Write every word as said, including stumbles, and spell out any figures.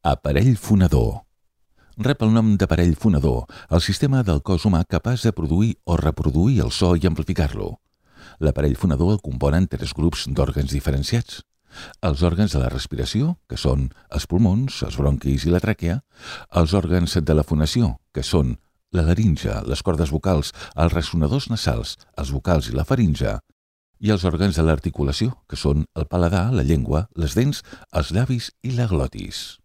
Aparell fonador. Rep el nom d'aparell fonador el sistema del cos humà capaç de produir o reproduir el so i amplificar-lo. L'aparell fonador el componen tres grups d'òrgans diferenciats. Els òrgans de la respiració, que són els pulmons, els bronquis i la tràquea, els òrgans de la fonació, que són la laringe, les cordes vocals, els ressonadors nasals, els vocals i la faringe, i els òrgans de l'articulació, que són el paladar, la llengua, les dents, els llavis i la glotis.